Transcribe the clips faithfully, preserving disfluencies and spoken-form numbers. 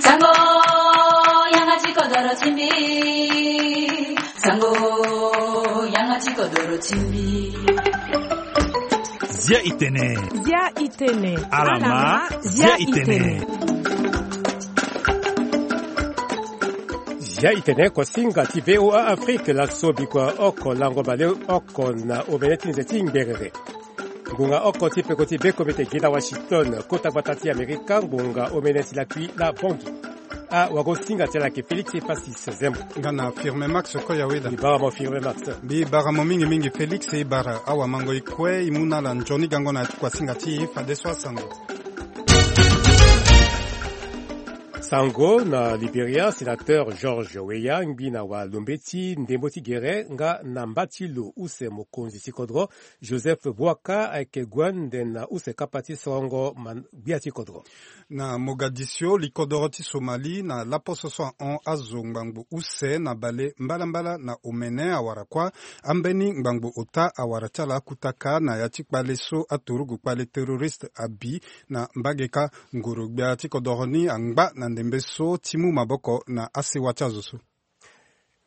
Sango, yanga ti kodoro ti mbi. Sango, yanga ti kodoro ti mbi. Zia itene. Zia itene. Alama, zia itene. Zia itene, kosinga ti V O A Afrique, laso bikua oko lango baleoko na omene ti nze ti ngberere. Ngonga oko ti peko ti bekomete gi na Washington, kota gbata ti Amerika, ngonga omene ti lakui la bongi. Awagosinga ti ala yeke Félix Epasis Zembo. Nga na Firme Max Koyaweda. Mbi bara mo Firme Max. Mbi bara mo mingi mingi Félix, e bara awamango e kue e mu na ala nzoni gango na ya ti kuasinga ti e fadeso asango. Sango na Liberia, sénateur George Weah ngbi na walombe ti ndembo ti gere nga na mba ti lo use mokonzi ti kodro Joseph Boakai ayeke gue ande na use kapa ti sorongo ma-, gbia ti kodro. Na Mogadiscio, likodoro ti Somalie na laposo so ahon azo ngbangbo use na bale mbalambala na omene awara kuâ, ambeni ngbangbo ota awara ti ala akutaka na ya ti kpale so aturugu kpale terroriste abi na mbage kâ. Ngoro gbia ti kodoro ni angba na ndembe so ti mu maboko na asewa ti azo so.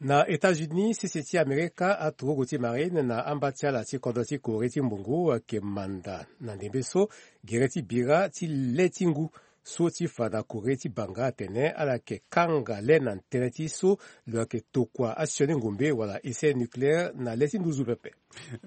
Na États-Unis, sese ti Amerika, aturugu ti marine na amba ti ala ti kodro ti Corée ti mbungu ayeke manda na ndembe so gere ti bira ti le ti ngu so ti fa na Corée ti banga atene ala yeke kanga le na tënë ti so lo yeke tokua asioni ngombe wala essai nucléaire na le ti nduzu pepe.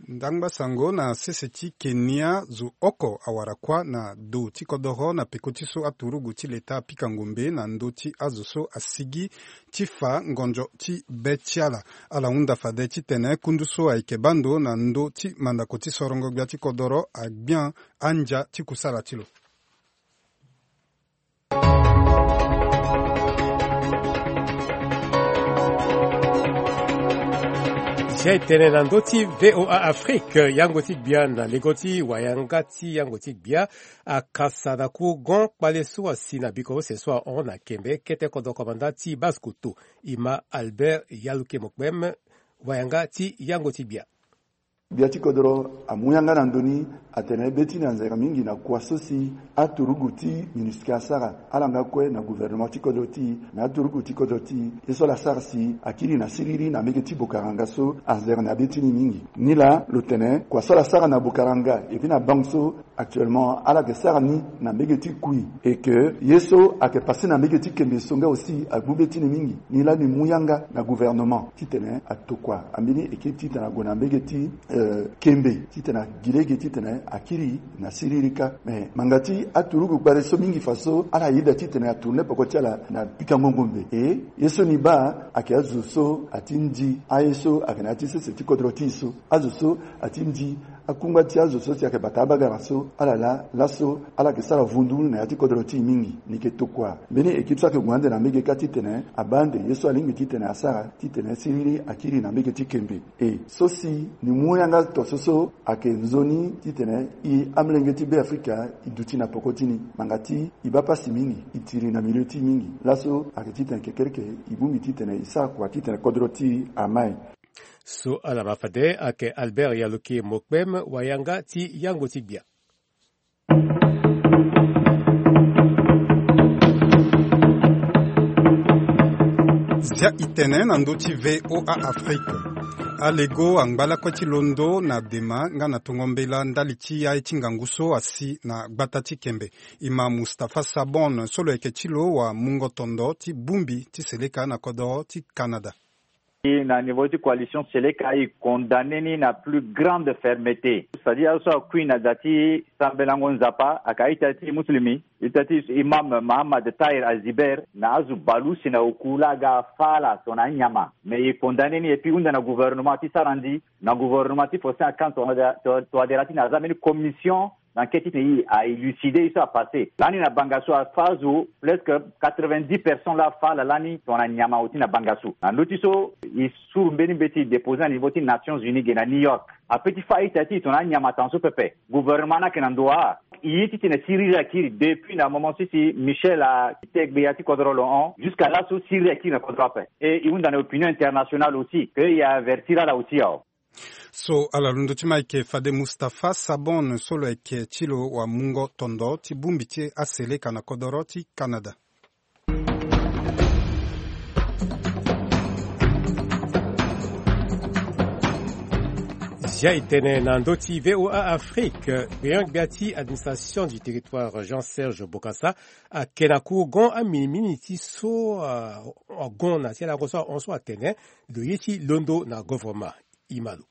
Ndangba sango na sese ti Kenya, zo oko awara kuâ na do ti kodoro na peko ti so aturugu ti leta apika ngombe na ndö ti azo so asigi ti fa ngonzo ti be ti ala. Ala hunda fade titene kundu so ayeke baa ndo na ndö ti mandako ti sorongo gbia ti kodoro agbia andia ti kusala ti lo. Zia e tene na ndö ti V O A Afrique, yango ti gbia na lego ti wayanga ti yango ti gbia akasa na courant kpale so asi na biko use so ahon na Kembe, kete kodro komanda ti Basse-Kotto, e ma Albert Yaluke Mokpem, wayanga ti yango ti gbia. Gbia ti kodro amu yanga na ndö ni atene be ti ni anzere mingi na kua so si aturugu ti MINUSCA asara, ala nga kue na gouvernement ti kodro ti e, na aturugu ti kodro ti e, ye so ala sara si akiri na siriri na mbege ti Bokaranga so anzere na be ti ni mingi. Nilaa lo tene kua so ala sara na Bokaranga, et puis na bango so actuellement ala yeke sara ni na mbege ti Kui, et que ye so ayeke passé na mbege ti Kembe so nga aussi agbu be ti ni mingi. Nilaa ni mu yanga na gouvernement titene atokua ambeni équipe titene ague na mbege ti, euh, Kembe titene agi lege titene akiri na siriri kâ. Mais manga ti aturugu kpale so mingi fa so ala yeda titene atourne peko ti ala na pikango ngombe. E ye so ni baa ayeke azo so ati ndi aye so ayeke na ya ti sese ti kodro ti e so, azo so ati ndi akungba ti azo so si ayeke bata abagara so, ala laa laso ala yeke sara vundu na ya ti kodro ti e mingi. Ni yeke tokua mbeni équipe so ayeke gue ande na mbege kâ titene abaa ande ye so alingbi titene asara titene siriri akiri na mbege ti Kembe. E so si ni mu yanga to so so ayeke nzoni titene e amolenge ti Beafrika e duti na peko ti ni. Manga ti e baa pasi mingi, e tiri na milieu ti e mingi. Laso ayeke titene kekereke e bongbi titene e sara kua titene kodro ti e amai. So ala ma fade ayeke Albert Yaluke Mokpem, wayanga ti yango ti gbia. Zia e tene na ndö ti V O A Afrique. Alego angba lakue ti londo na dema nga na tongo mbela ndali ti aye ti ngangu so asi na gbata ti Kembe. E ma Mustapha Sabon so lo yeke ti lo wamungo tondo ti bongbi ti seleka na kodoro ti Canada. Na niveau ti coalition seleka, e condamné ni na plus grande fermeté. C'est-à-dire azo so akui na da ti sambelango Nzapa, aka ita ti muslimi, ita ti imam Mahamad Tahir Aziber, na azo baleuse na oku laa aga fâ ala tongana anyama. Mais e condamné ni et puis e hunda na gouvernement ti sara ndi, na gouvernement ti Faustin Archange Touadéra, to, Touadéra titene aza mbeni commission d'enquête titene e a élucider ye so apassé. Lani na banga so afâ azo presque quatre-vingt-dix personnes laa afâ ala lani tongana nyama oti na banga so. Na ndö ti so e suru mbeni mbeti e déposer na niveau ti Nations Unies ge na New York. Ape ti fâ a-ita ti e tongana anyama tan so pepe. Gouvernement ni ayeke na ndo wa? E ye titene siriri akiri depuis na moment so si Michel ate gbeya ti kodro lo hon, jusqu'à laso siriri akiri na kodro ape. Et e hunda na opinion internationale aussi que e avertir ala aussi awe. So ala londo ti ma ayeke fade Mustapha Sabon so lo yeke ti lo wamungo tondo ti bongbi ti aseleka na kodoro ti Canada. Zia e tene na ndö ti V O A Afrique, gbenyo-gbia ti administration du territoire Jean Serge Bokassa ake na kourgon aminimini ti so, ah, agon na ti alango so ahon so atene lo ye ti londo na governement. Imalo.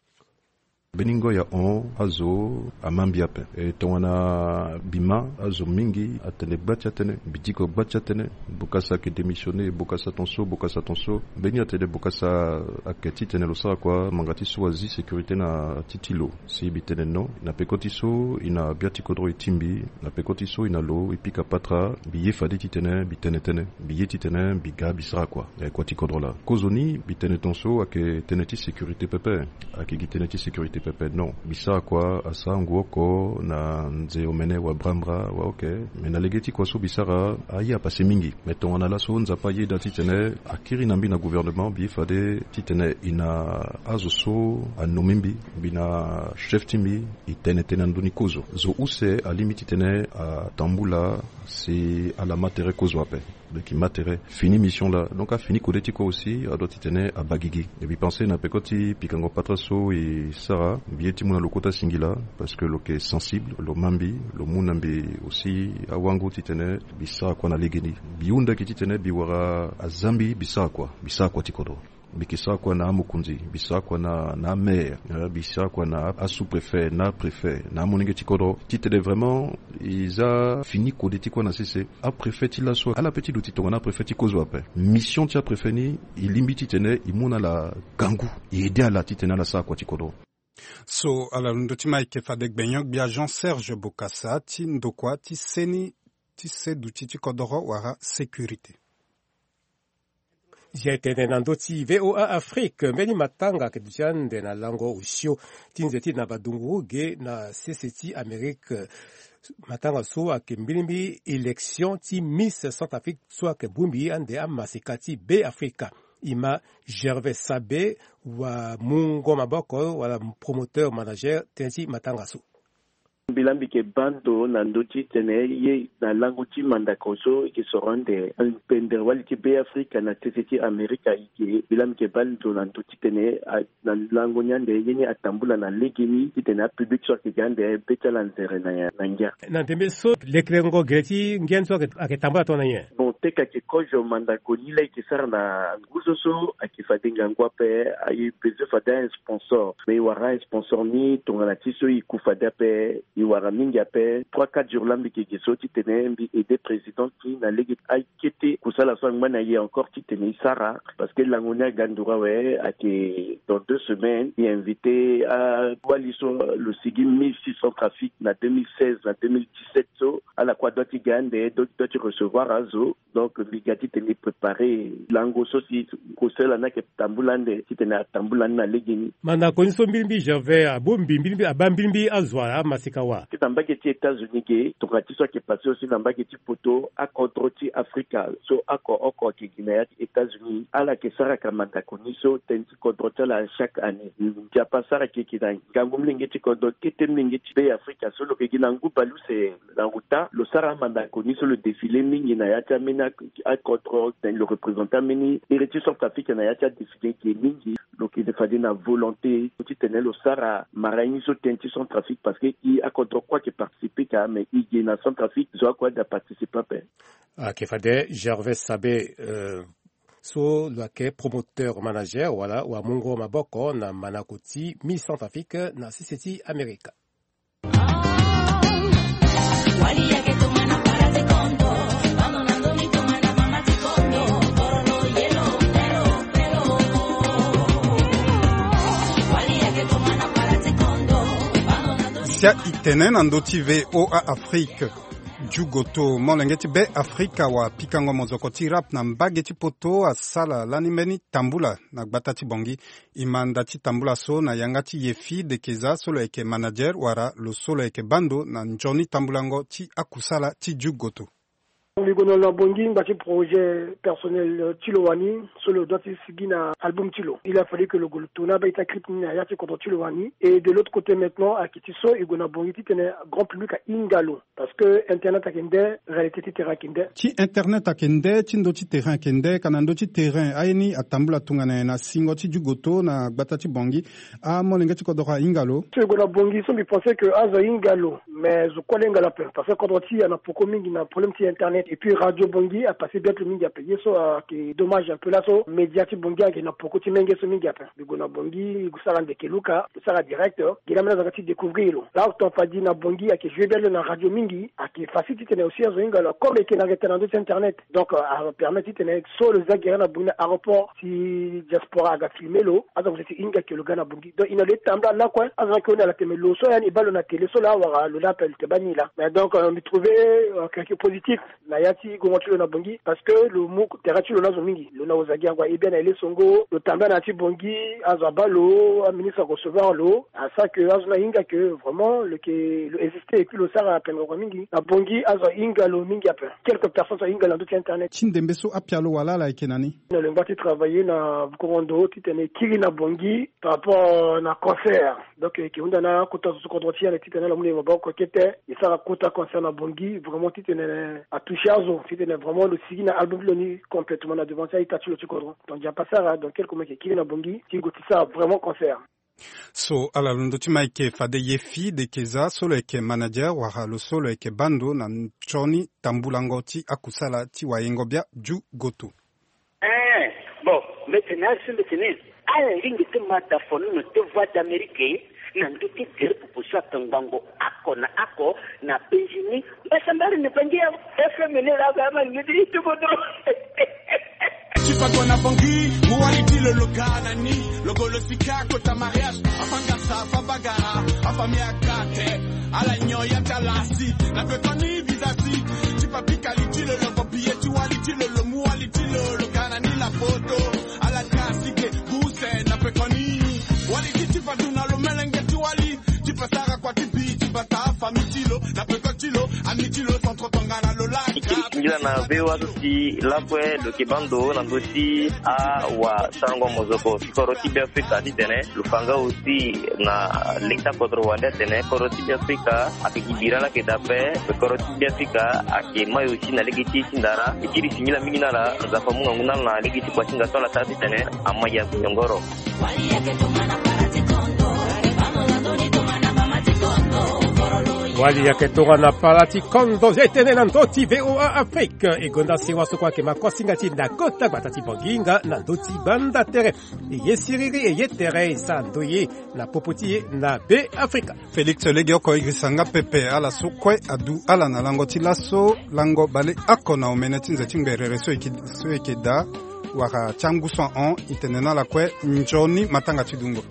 Mbeni ngoi ahon azo ama mbi ape. E tongana bima azo mingi atene gba ti atene, mbi diko gba ti atene, Bokassa ake démissionner, Bokassa ton so, Bokassa ton so. Mbeni atene Bokassa ake titene lo sara kua, manga ti so azi sécurité na ti ti lo. Si mbi tene non, na peko ti so e na bia ti kodro e ti mbi, na peko ti so e na lo e pika patara, mbi ye fade titene mbi tene tënë, mbi ye titene mbi ga mbi sara kua. E kua ti kodro laa. Kozoni mbi tene ton so ake tënë ti sécurité pepe. Ake gi tënë ti sécurité pepe, non. Mbi sara kua asara ngu oko na nze omene wa brambra wa oke. Me na lege ti kua so mbi sara aye apase mingi. Me tongana laso Nzapa ayeda titene akiri na mbi na gouvernement, mbi ye fade titene e na azo so anommé mbi, mbi na chef ti mbi, e tene tënë na ndö ni kozo. Zo use alingbi titene atambula si ala ma tere kozo ape. Donc e ma tere, fini mission laa. Donc afini kode ti kua aussi, adoit titene abaa gigi. E mbi pense na peko ti pikango patara so e sara, mbi ye ti mu na lo kota singila, parce que lo yeke sensible, lo ma mbi, lo mu na mbi aussi awango titene mbi sara kua na legeni. Mbi hunda gi titene mbi wara aza mbi, mbi sara kua, mbi sara kua ti kodro. Mbi yeke sara kua na amokonzi, mbi sara kua na, na amaire, eh, mbi sara kua na asous-préfet, na préfet, na amolenge ti kodro. Titene vraiment e za fini kode ti kua na sese. Apréfet ti laso ala pe ti duti tongana apréfet ti kozo ape. Mission ti apréfet ni, e lingbi titene e mu na ala gangu, e aider ala titene ala sara kua ti kodro. So ala londo ti ma eke fade gbenyo-gbia Jean Serge Bokassa ti ndokua ti seni ti se duti ti kodoro wala sécurité. Zia e tene na ndö ti V O A Afrique, mbeni matanga ayeke duti ande na lango osio ti nze ti Nabadungu ge na sese ti Amérique. Matanga so ayeke mbilimbili élection ti Miss Centrafrique so ayeke bongbi ande amaseka ti Beafrika. E ma Gervais Sabe, wamungo maboko wala promoteur manager, tënë ti matanga so. Mbi laa mbi yeke baa ndo na ndö ti tene ye na lango ti mandako so e yeke soro ande pendere wali ti Beafrika na sese ti Amerika e ge. Mbi laa mbi yeke baa ndo na ndö ti tene a, na lango ni ande ye ni atambula na legeni titene apublic so ayeke ga ande be ti ala nzere na, na ngia. Na ndembe so lekerengo gere ti ngia ni so ayeke, ayeke tambula tongana nyen? Bon, teka ayeke kozo mandako ni laa e yeke sara na ngu so so ayeke fade ngangu ape, aye besoin fade a-sponsor. Mais e wara a-sponsor ni tongana ti so e ku fade ape, e wara mingi ape. Trois, quatre jours laa mbi yeke ge so titene mbi aider président ti na lege akete kusala so angba na e encore titene e sara. Parce que lango ni aga nduru awe, ayeke dans deux semaines e invité awali so lo sigi Miss Centrafrique na deux mille seize na deux mille dix-sept so, ala kue adoit ti ga ande, doit, doit ti recevoir azo. Donc mbi ga titene e préparer lango so si kusala ni ayeke tambula ande titene atambula ni na legeni. Mandako ni so mbilimbili Gervais abongbi mbilimbili, abaa mbilimbili azo amaseka wa? Ti na mbage ti États-Unis ge, tongana ti so ayeke passé aussi na mbage ti poto, akodro ti Afrika so oko oko ayeke gi na ya ti États-Unis, ala yeke saraka mandako ni so tënë ti kodro ti ala chaque année. Nzapa asara yeke gi na ngangu molenge ti kodro, kete molenge ti Beafrika so lo yeke gi na ngu baleuse na ota, lo sara amandako ni so lo défilé mingi na ya ti ambeni ak-, akodro, lo représenté ambeni ere ti Centrafrique na ya ti adéfilé ge mingi. Lo yeke fade na volonté titene lo sara mara ni so tënë ti Centrafrique, parce que e akodro kue ayeke participé ka, mais e ge na Centrafrique zo akue aye da participé ape. Ayeke fade Gervais Sabe, euh, so lo yeke promoteur manager wala wamungo maboko na mandako ti Miss Centrafrique na sese ti Amerika. Sia e tene na ndö ti V O A Afrique. Jugoto, molenge ti Beafrika wa pikango mozoko ti rap na mbage ti poto asala lani mbeni tambula na gbata ti Bangui. E ma nda ti tambula so na yanga ti Yefi Dekeza so lo yeke manager wala lo so lo yeke baa ndo na nzoni tambulango ti akusala ti Jugoto. Li gue na lo na Bangui ngba ti projet personnel ti lo wani, so lo doit ti sigi na album ti lo. Il a fallu que lo gue lo tourner abaa ita clip ni na ya ti kodro ti lo wani. Et de l'autre côté maintenant, ayeke ti so e gue na Bangui titene grand public ahinga lo. Parce que internet ayeke nde, réalité ti terrain ayeke nde. Ti internet ayeke nde, ti ndö ti terrain ayeke nde. Ka na ndö ti terrain aye ni atambula tongana nyen na singo ti dugoto na gbata ti Bangui? Amolenge ti kodro ahinga lo. So e gue na Bangui so mbi pense que azo ahinga lo. Mais zo kue ala hinga lo ape, parce que kodro ti e ana poko mingi na problème ti internet. Et puis radio Bangui apasse bien ti lo mingi ape. Ye so ayeke dommage un peu, laso média ti Bangui ayeke na poko ti menge so mingi ape. Mbi gue na Bangui, mbi gue sara ndeke luka, mbi sara direct. Gi laa ambeni azo aga ti découvrir lo. Laa oto fadi na Bangui ayeke jouer bien ti lo na radio mingi, ayeke facile titene aussi azo hinga lo comme ayeke na retard na ndö ti internet. Donc, euh, apermettre titene so lo zia gere na Bangui na aéroport, si diaspora aga filmer lo, azo ague ti hinga ke lo ga na Bangui. Donc, e na lo e tambula lakue, azo ayeke hunda ala tene lo so ya ni e baa lo na télé so laa, wala lo laa ape lo tene baa ni laa. Mais donc, euh, mbi trouver, euh, quelque positif na ya ti gongo ti lo na Bangui, parce que lo mu terrain ti lo na azo mingi. Lo na Ozagiango aye bien na ye le songo, lo tambula na ya ti Bangui, azo abaa lo, aministre arecevoir lo, asara que azo ni ahinga que vraiment lo yeke, lo existe, et puis lo sara pendere mingi. Na Bangui azo ahinga lo mingi ape. Quelques personnes so ahinga lo na ndö ti internet. Ti ndembe so apialo wala ala yeke na ni? Na lo ngba ti travailler na bukongo ndo titene e kiri na Bangui par rapport na concert. Donc, e yeke hunda na akota zo so kodro ti e ande titene ala mu na e maboko kete, e sara kota concert na Bangui, vraiment titene atoucher azo, titene vraiment lo sigi na album ti lo ni complètement na devant ti a-ita ti lo ti kodro. Donc, Nzapa asara, donc, quelques mois e yeke kiri na Bangui ti gue ti sara vraiment concert. So ala londo ti Mike fade Yefi Dekeza, so lo yeke manager wala lo so lo yeke bando na nzoni tambulango ti akusala ti wayengo bia Dju Goto. Eh, bon, mbi tene asi mbi tene, ala lingbi ti ma da fono na te Voix d'Amérique na ndö ti gere popo so atongbango oko na oko na Benjini. Mbasambari na Bangi ya F M ni la ga ma ni ti tuko dro. Tipa kona Bangi, mu wali ti lo lo ga na ni, lo go lo sika kota mariage, afangasa, afabagara, afamia kate, ala nyo ya talasi, na pe koni bizasi, tipa bika li ti lo lo go biye ti wali ti lo lo mu wali ti lo lo ga na ni la foto, ala kasi ke, guse, na pe koni, wali ti tipa duna lo melenge ti wali, tipa sara kua ti bi, tipa ta famille ti lo, na pe ko ti lo, ami ti lo, centre tongana lo la. Ti kiri singila na V O A so si lakue lo yeke bando na ndö ti awasarango mozoko ti kodro ti Beafrika titene lo fa nga aussi na leta kodro wande atene kodro ti Beafrika ayeke gi bira laa ayeke daa ape. Kodro ti Beafrika ayeke mai aussi na lege ti e ti ndara. E kiri singila mingi na ala, Nzapa amu ngangu na ala na lege ti kuasinga so ala sara titene amai ya nyongoro. Wali yeke tongana para ti kondo, e tene na ndö ti V O A Afrique. E gonda sewa so kue ayeke ma kuasinga ti e na kota gbata ti Bangi nga na ndö ti banda tere. E ye siriri, e ye tere, e sara ndoye na popo ti e na Beafrika. Félix, legeoko e girisa nga pepe ala so kue adu ala na lango ti laso, lango baleoko na omene ti nze ti ngberere so e yeke, so e yeke daa, wala ti angu so ahon, e tene na ala kue nzoni matanga ti dungo.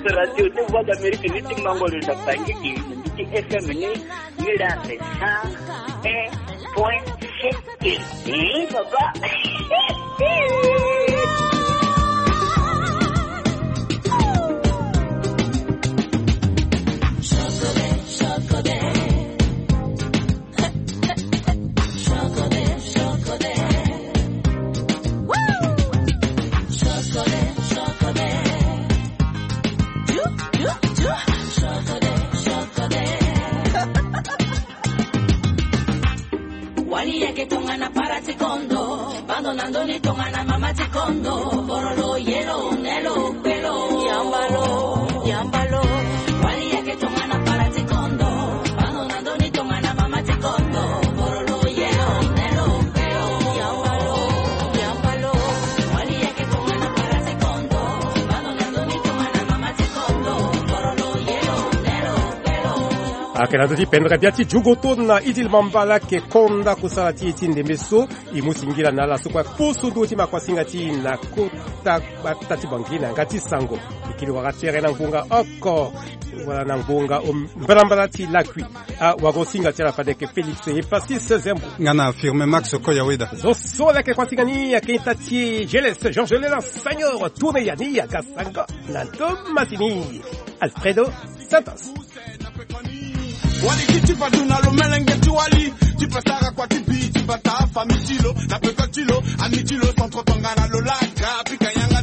Radio ti Voix d'Amérique ni ti mango lo na Bangi ti F M ni, ni la cent un point sept. Ih, papa. Wali yeke tongana para ti kondo, bando na ndoni tongana mama ti kondo, borolo, yelo, nelo, pelo, yambalo, yambalo. Wali yeke tongana para ti kondo, bando na ndoni tongana mama ti kondo, borolo, yelo, nelo, pelo, yambalo, yambalo. Wali yeke tongana para ti kondo, bando na ndoni tongana mama ti kondo, borolo, yelo, nelo, pelo. Ayeke na ndö ti pendere bia ti Dju Goto na Idil Mamba laa ayeke konda kusala ti e ti ndembe so. E mu singila na ala so kue apusu ndö ti ma kuasinga ti e na kota gbata ti Bangi na yanga ti sango. E kiri wara tere na ngonga oko. Wala na ngonga o mbalambala ti lakui. Ah, wago singa ti ala fade yeke Félix Epasis Zembo. Nga na Firmin Max Koyaweda. Zo so leke kuâ ti nga ni ayeke ita ti Geles Georges Léna Seigneur tourne ya ni aga sango na ndo masini Alfredo Santos. Wali ki ti patu na lo melenge ti wali. Ti pasara kua ti bi ti bata famille ti lo na peko ti lo ami ti lo centre tonga na lo laka pika yanga.